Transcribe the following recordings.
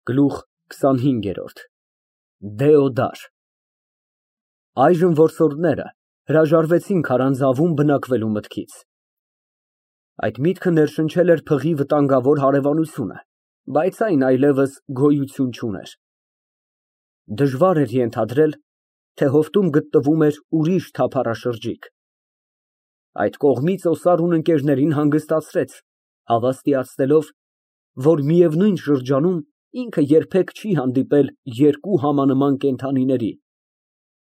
Գլուխ քսանհինգերորդ Դեոդար Այժմ որսորդները հրաժարվեցին քարանձավում բնակվելու մտքից։ Այդ միտքը ներշնչել էր փղի վտանգավոր հարևանությունը, բայց այն այլևս գոյություն չուներ։ Դժվար էր ենթադրել, թե հովտում գտնվում էր ուրիշ թափառաշրջիկ։ Այդ կողմից օսարուն ընկերներին հանգստացրեց, հավաստիացնելով, որ միևնույն շրջանում ինքը երբեք չի հանդիպել երկու համանման կենդանիների,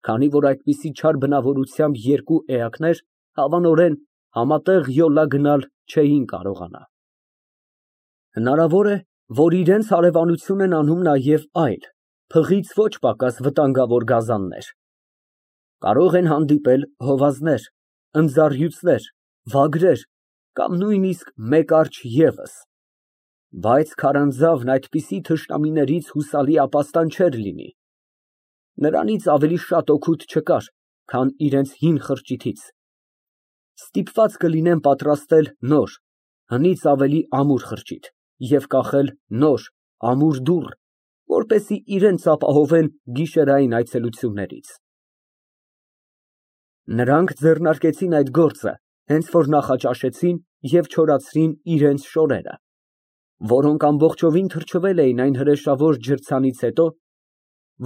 քանի որ այդպիսի չար բնավորությամբ երկու էակներ հավանորեն համատեղ յոլա գնալ չէին կարողանա։ Հնարավոր է, որ իրենց հարևանություն են անում նաև այլ, փղից ոչ պակաս վտանգավոր գազաններ։ Կարող են հանդիպել հովազներ, ընձառյուծներ, վագրեր կամ նույնիսկ մեկ արջը ևս, բայց քարանձավն այդպիսի թշնամիներից հուսալի ապաստան չէր լինի։ Նրանից ավելի շատ օգուտ չկար, քան իրենց հին խրճիթից։ Ստիպված կլինեն պատրաստել նոր, հնից ավելի ամուր խրճիթ և կախել նոր, ամուր դուռ, որպեսզի իրենց ապահովեն գիշերային այցելություններից։ Նրանք ձեռնարկեցին այդ գործը, հենց որ նախաճաշեցին և չորացրին իրենց շորերը, որոնք ամբողջովին թրջվել էին այն հրեշավոր ջրցանից հետո,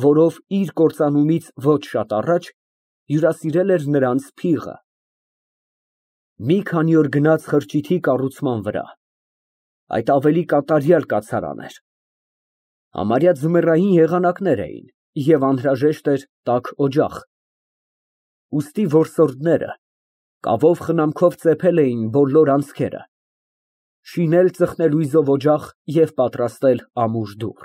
որով իր կործանումից ոչ շատ առաջ հյուրասիրել էր նրանց փիղը։ Մի քանի օր գնաց խրճիթի կառուցման վրա։ Այդ ավելի կատարյալ կացարան էր։ Համարյա ձմեռային եղանակներ էին և անհրաժեշտ էր տաք օջախ։ Ուստի որսորդները կավով խնամքով ծեփել էին բոլոր անցքերը, շինել ծխնելույզով օջախ և պատրաստել ամուր դուռ։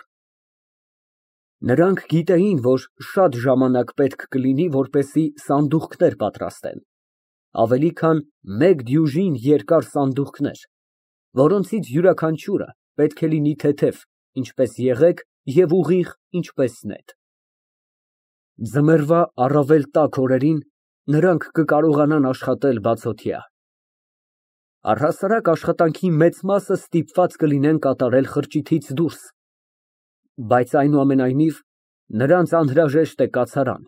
Նրանք գիտեին, որ շատ ժամանակ պետք կլինի, որպեսզի սանդուղքներ պատրաստեն, ավելի քան մեկ դյուժին երկար սանդուղքներ, որոնցից յուրաքանչյուրը պետք է լինի թեթև, ինչպես եղեգ, և ուղիղ, ինչպես նետ։ Ձմեռվա առավել տաք օրերին նրանք կկարողանան աշխատել բացօթյա։ Առհասարակ աշխատանքի մեծ մասը ստիպված կլինեն կատարել խրճիթից դուրս, բայց այնուամենայնիվ նրանց անհրաժեշտ է կացարան,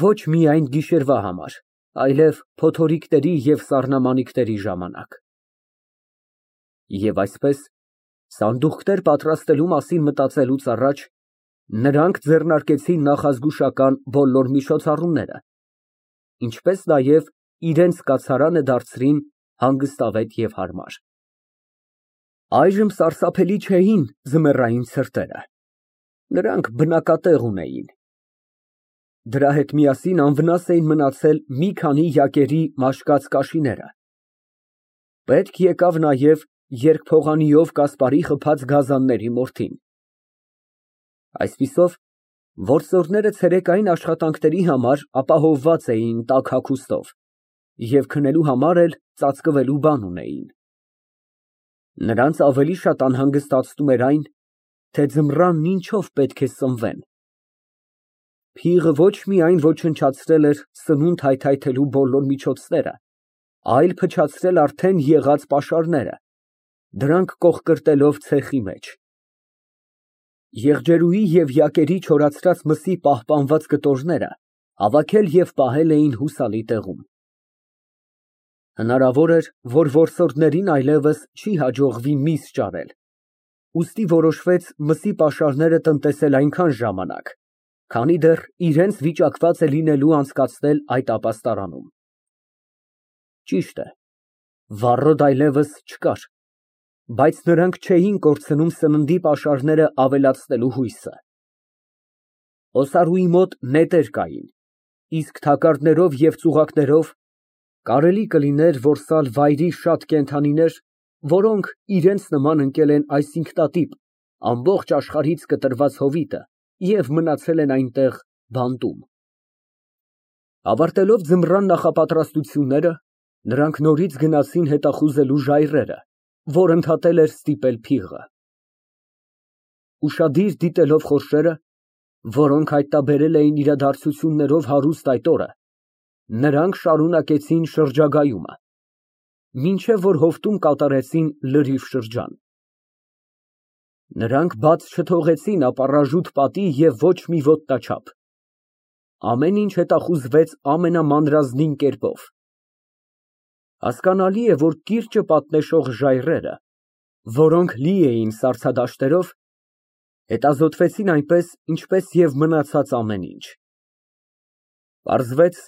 ոչ միայն գիշերվա համար, այլև փոթորիկների և սառնամանիքների ժամանակ։ Եվ այսպես, սանդուղքներ պատրաստելու մասին մտածելուց առաջ նրանք ձեռնարկեցին նախազգուշական բոլոր միջոցառումները, ինչպես նաև իրենց կացարանը դարձրին հանգստավետ և հարմար։ Այժմ սարսափելի չէին ձմեռային ցրտերը, նրանք բնակատեղ ունեին։ Դրա հետ միասին անվնաս էին մնացել մի քանի յակերի մաշկած կաշիները։ Պետք եկավ նաև երկփողանիով կասպարի խփած գազանների մորթին։ Այսպիսով, որսորդները ցերեկային աշխատանքների համար ապահովված էին տաք հագուստով և քնելու համար էլ ծածկվելու բան ունեին։ Նրանց ավելի շատ անհանգստացնում էր այն, թե ձմռանն ինչով պետք է սնվեն։ Փիղը ոչ միայն ոչնչացրել էր սնունդ հայթայթելու բոլոր միջոցները, այլ փչացրել արդեն եղած պաշարները, դրանք կոխկրտելով ցեխի մեջ։ Եղջերուի և յակերի չորացրած մսի պահպանված կտորները հավաքել և պահել էին հուսալի տեղում։ Հնարավոր էր, որ որսորդներին այլևս չի հաջողվի միս ճարել, ուստի որոշվեց մսի պաշարները տնտեսել այնքան ժամանակ, քանի դեռ իրենց վիճակված է լինելու անցկացնել այդ ապաստարանում։ Ճիշտ է, վառոդ այլևս չկար, բայց նրանք չէին կորցնում սննդի պաշարները ավելացնելու հույսը։ Օսարուի մոտ նետեր կային, իսկ թակարդներով և ծուղակներով կարելի կլիներ որսալ վայրի շատ կենդանիներ, որոնք իրենց նման ընկել են այս ինքնատիպ, ամբողջ աշխարհից կտրված հովիտը և մնացել են այնտեղ բանտում։ Ավարտելով ձմռան նախապատրաստությունները, նրանք նորից գնացին հետախուզելու ժայռերը, որ ընդհատել էր ստիպել փիղը։ Ուշադիր դիտելով խորշերը, որոնք հայտնաբերել էին իրադարձություններով հարուստ այդ օրը, նրանք շարունակեցին շրջագայումը, մինչև որ հովտում կատարեցին լրիվ շրջան։ Նրանք բաց չթողեցին ապառաժուտ պատի և ոչ մի ոտնաչափ։ Ամեն ինչ հետախուզվեց ամենամանրազնին կերպով։ Հասկանալի է, որ կիրճը պատնեշող ժայռերը, որոնք լի էին սառցադաշտերով, հետազոտվեցին այնպես, ինչպես և մնացած ամեն ինչ։ Պարզվեց,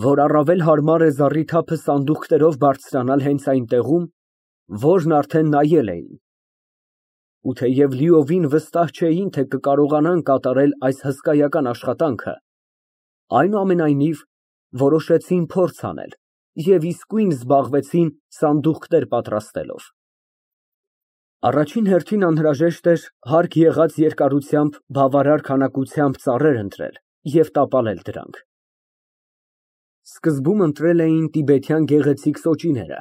որ առավել հարմար է զառիթափը սանդուղքներով բարձրանալ հենց այն տեղում, որն արդեն նայել էին, ու թեև լիովին վստահ չէին, թե կկարողանան կատարել այս հսկայական աշխատանքը, այնուամենայնիվ որոշեցին փորձ անել և իսկույն զբաղվեցին սանդուղքներ պատրաստելով։ Առաջին հերթին անհրաժեշտ էր հարկ եղած երկարությամբ բավարար քանակությամբ ծառեր ընտրել և տապալել դրանք։ Սկզբում ընտրել էին տիբեթյան գեղեցիկ սոճիները,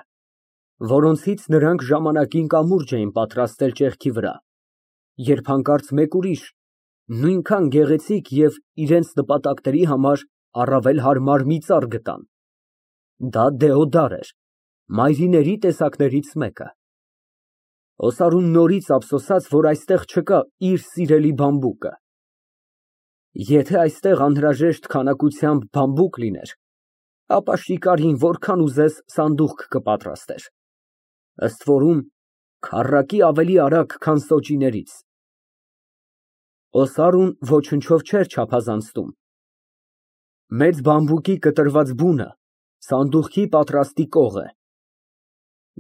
որոնցից նրանք ժամանակին կամուրջ էին պատրաստել ճեղքի վրա, երբ հանկարծ մեկ ուրիշ, նույնքան գեղեցիկ և իրենց նպատակների համար առավել հարմար մի ծառ գտան։ Դա դեոդար էր, մայրիների տեսակներից մեկը։ Օսարուն նորից ափսոսաց, որ այստեղ չկա իր սիրելի բամբուկը։ Եթե այստեղ անհրաժեշտ քանակությամբ բամբուկ լիներ, ապա շիկարին որքան ուզես սանդուղք կպատրաստեր, ըստ որում քառակի ավելի արագ, քան սոճիներից։ Օսարուն ոչնչով չէր չափազանցնում։ Մեծ բամբուկի կտրված բունը սանդուղքի պատրաստի կող է։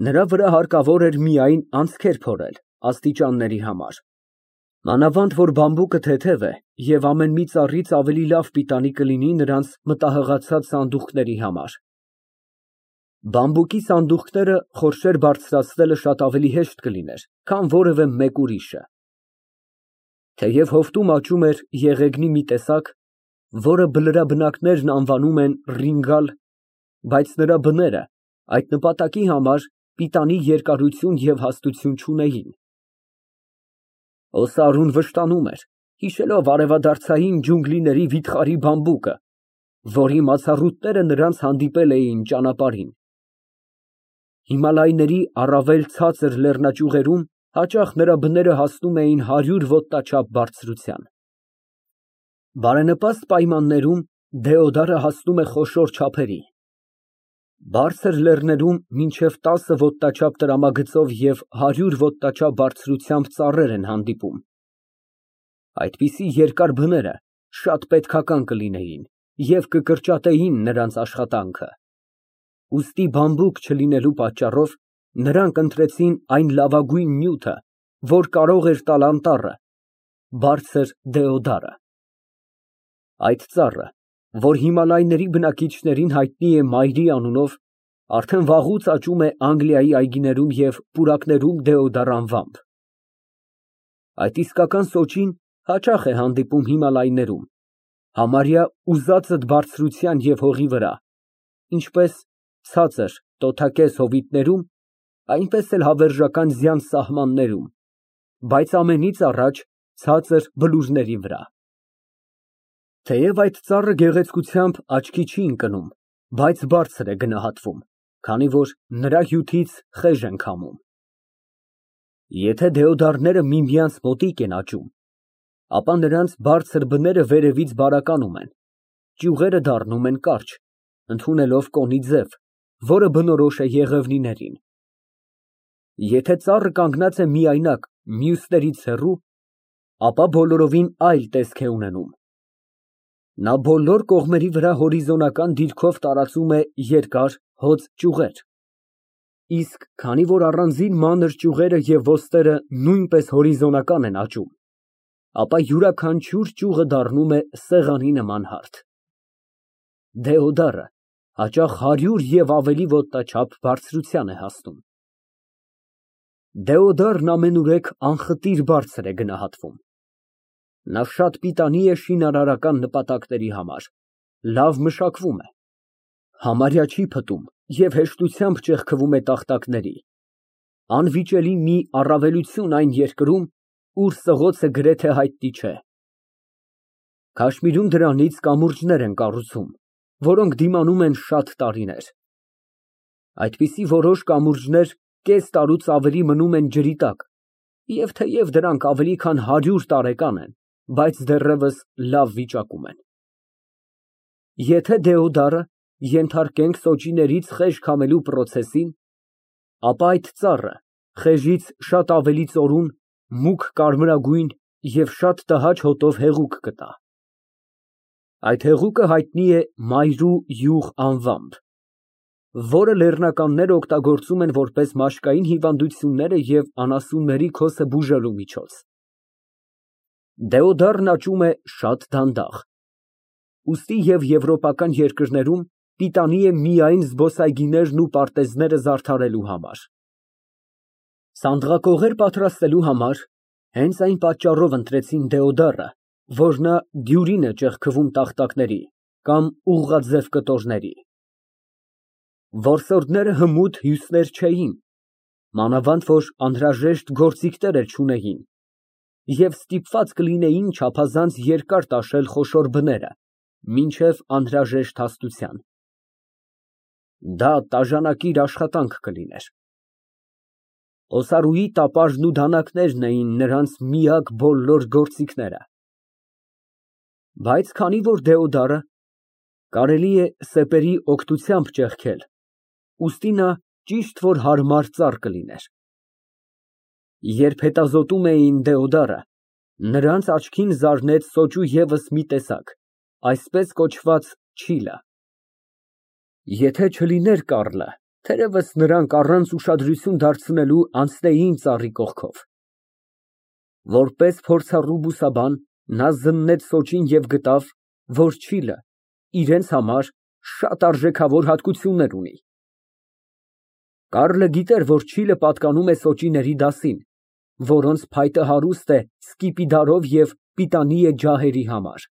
Նրա վրա հարկավոր էր միայն անցքեր փորել աստիճանների համար։ Մանավանդ որ բամբուկը թեթև է և ամեն մի ծառից ավելի լավ պիտանի կլինի նրանց մտահղացած սանդուղքների համար։ Բամբուկի սանդուղքները խորշեր բարձրացնելը շատ ավելի հեշտ կլիներ, քան որևէ մեկ ուրիշը։ Թեև հովտում աճում էր եղեգնի մի տեսակ, որը բլրաբնակներն անվանում են ռինգալ, բայց նրա բները այդ նպատակի համար պիտանի երկարություն և հաստություն չունեին։ Օսարուն վշտանում էր, հիշելով արևադարձային ջունգլիների վիթխարի բամբուկը, որի մացառուտները նրանց հանդիպել էին ճանապարհին։ Հիմալայների առավել ցածր լեռնաճյուղերում հաճախ նրա բները հասնում էին 100 ոտնաչափ բարձրության։ Բարենպաստ պայմաններում դեոդարը հասնում է խոշոր չափերի։ Բարձր լեռներում մինչև 10 ոտնաչափ տրամագծով և 100 ոտնաչափ բարձրությամբ ծառեր են հանդիպում։ Այդպիսի երկար բները շատ պետքական կլինեին և կկրճատեին նրանց աշխատանքը։ Ուստի բամբուկ չլինելու պատճառով նրանք ընտրեցին այն լավագույն նյութը, որ կարող էր տալ անտառը, բարձր դեոդարը։ Այդ ծառը, որ հիմալայների բնակիչներին հայտնի է մայրի անունով, արդեն վաղուց աճում է Անգլիայի այգիներում և պուրակներում դեոդար անվամբ։ Այդ իսկական սոճին հաճախ է հանդիպում հիմալայներում, համարյա ուզածդ բարձրության և հողի վրա, ինչպես ցածր տոթակեզ հովիտներում, այնպես էլ հավերժական ձյան սահմաններում, բայց ամենից առաջ ցածր բլուրների վրա։ Թեև այդ ծառը գեղեցկությամբ աչքի չի ընկնում, բայց բարձր է գնահատվում, քանի որ նրա հյութից խեժ են քամում։ Եթե դեոդարները միմյանց մոտիկ են աճում, ապա նրանց բարձր բները վերևից բարականում են, ճյուղերը դառնում են կարճ, ընդունելով կոնի ձև, որը բնորոշ է եղևնիներին։ Եթե ծառը կանգնած է միայնակ, մյուսներից հեռու, ապա բոլորովին այլ տեսք է ունենում։ Նա բոլոր կողմերի վրա հորիզոնական դիրքով տարածում է երկար, հոծ ճյուղեր, իսկ քանի որ առանձին մանր ճյուղերը և ոստերը նույնպես հորիզոնական են աճում, ապա յուրաքանչյուր ճյուղը դառնում է սեղանի նման հարթ։ Դեոդարը հաճախ 100 և ավելի ոտնաչափ բարձրության է հասնում։ Դեոդարն ամենուրեք անխտիր բարձր է գնահատվում։ Նա շատ պիտանի է շինարարական նպատակների համար, լավ մշակվում է, համարյա չի փտում և հեշտությամբ ճեղքվում է տախտակների, անվիճելի մի առավելություն այն երկրում, ուր սղոցը գրեթե հայտնի չէ։ Քաշմիրում դրանից կամուրջներ են կառուցում, որոնք դիմանում են շատ տարիներ։ Այդպիսի որոշ կամուրջներ կես տարուց ավելի մնում են ջրի տակ, Եվ թեև դրանք ավելի քան 100 տարեկան են, բայց դեռևս լավ վիճակում են։ Եթե Դեոդարը ենթարկենք սոճիներից խեժ քամելու պրոցեսին, ապա այդ ծառը խեժից շատ ավելի ծորուն, մուգ կարմրագույն և շատ տհաճ հոտով հեղուկ կտա։ Այդ հեղուկը հայտնի է մայրու յուղ անվամբ, որը լեռնականները օգտագործում են որպես մաշկային հիվանդությունները և անասունների քոսը բուժելու միջոց։ Դեոդարն աճում է շատ դանդաղ, ուստի և եվրոպական երկրներում պիտանի է միայն զբոսայգիներն ու պարտեզները զարդարելու համար։ Սանդղակողեր պատրաստելու համար հենց այն պատճառով ընտրեցին դեոդարը, որ նա դյուրին է ճեղքվում տախտակների կամ ուղղաձև կտորների։ Որսորդները հմուտ հյուսներ չէին, մանավանդ որ անհրաժեշտ գործիքներ էլ չունեին և ստիպված կլինեին չափազանց երկար տաշել խոշոր բները, մինչև անհրաժեշտ հաստության։ Դա տաժանակիր աշխատանք կլիներ։ Օսարուի տապարն ու դանակներն էին նրանց միակ բոլոր գործիքները։ Բայց քանի որ դեոդարը կարելի է սեպերի օգնությամբ ճեղքել, ուստի նա ճիշտ որ հարմար ծառ կլիներ։ Երբ հետազոտում էին դեոդարը, նրանց աչքին զարնեց սոճու ևս մի տեսակ, այսպես կոչված չիլը։ Եթե չլիներ կառլը, թերևս նրանք առանց ուշադրություն դարձնելու անցնեին ծառի կողքով։ Որպես փորձառու բուսաբան նա զննեց սոճին և գտավ, որ չիլը իրենց համար շատ արժեքավոր հատկություններ ունի։ Կառլը գիտեր, որ չիլը պատկանում է սոճիների դասին, որոնց փայտը հարուստ է սկիպիդարով և պիտանի է ջահերի համար։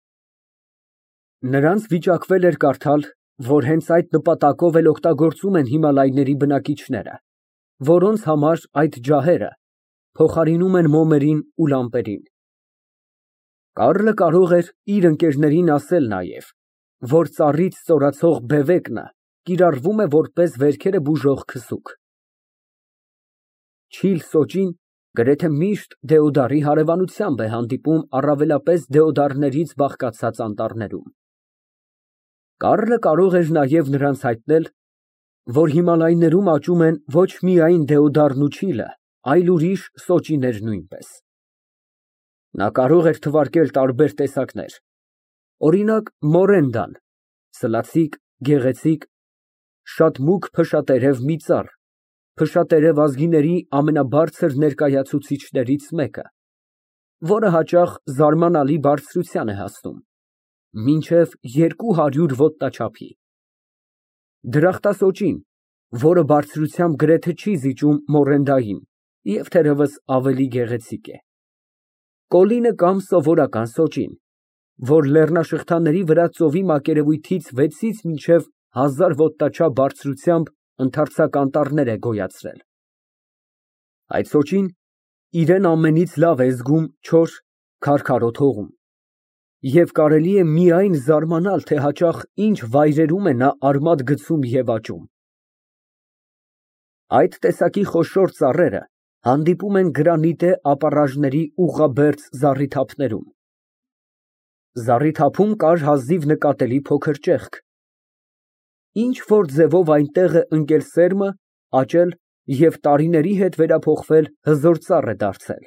Նրանց վիճակվել էր կարդալ, որ հենց այդ նպատակով էլ օգտագործում են Հիմալայների բնակիչները, որոնց համար այդ ջահերը փոխարինում են մոմերին ու լամպերին։ Կառլը կարող էր իր ընկերներին ասել նաև, որ ծառից ստորացող բևեկնը կիրառվում է որպես վերքերը բուժող քսուք։ Չիլ սոճին գրեթե միշտ դեոդարի հարևանությամբ է հանդիպում առավելապես դեոդարներից բաղկացած անտառներում։ Կառլը կարող էր նաև նրանց հայտնել, որ Հիմալայներում աճում են ոչ միայն դեոդարն ու չիլը, այլ ուրիշ սոճիներ նույնպես։ Նա կարող էր թվարկել տարբեր տեսակներ, օրինակ մորենդան, սլացիկ, գեղեցիկ, շատ մուգ փշատերև մի ծառ, փշատերև ազգիների ամենաբարձր ներկայացուցիչներից մեկը, որը հաճախ զարմանալի բարձրության է հասնում, մինչև 200 ոտնաչափի, դրախտասոճին, որը բարձրությամբ գրեթե չի զիջում մորենդային և թերևս ավելի գեղեցիկ է, կոլինը կամ սովորական սոճին, որ լեռնաշղթաների վրա ծովի մակերևույթից 6-ից մինչև 1000 ոտնաչափ բարձրությամբ ընդարձակ անտառներ է գոյացրել։ Այդ սոճին իրեն ամենից լավ է զգում չոր, քարքարոտ հողում, և կարելի է միայն զարմանալ, թե հաճախ ինչ վայրերում է նա արմատ գցում և աճում։ Այդ տեսակի խոշոր ծառերը հանդիպում են գրանիտե ապառաժների ուղղաբերձ զառիթափներում։ Զառիթափում կար հազիվ նկատելի փոքր ճեղք, ինչ որ ձևով այնտեղ է ընկել սերմը, աճել և տարիների հետ վերափոխվել հզոր ծառ է դարձել,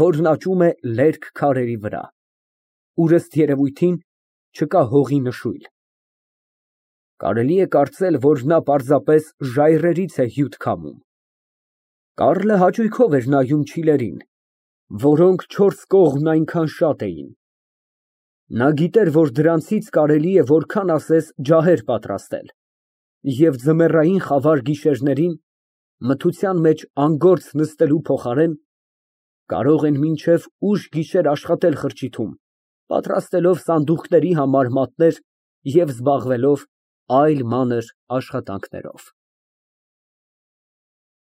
որն աճում է լերկ քարերի վրա, ուր ըստ երևույթին չկա հողի նշույլ։ Կարելի է կարծել, որ նա պարզապես ժայռերից է հյութ քամում։ Կառլը հաճույքով էր նայում չիլերին, որոնք 4 կողմն այնքան շատ էին։ Նա գիտեր, որ դրանցից կարելի է որքան ասես ջահեր պատրաստել, և ձմեռային խավար գիշերներին, մթության մեջ անգործ նստելու փոխարեն, կարող են մինչև ուշ գիշեր աշխատել խրճիթում, պատրաստելով սանդուղքների համար մատներ և զբաղվելով այլ մանր աշխատանքներով։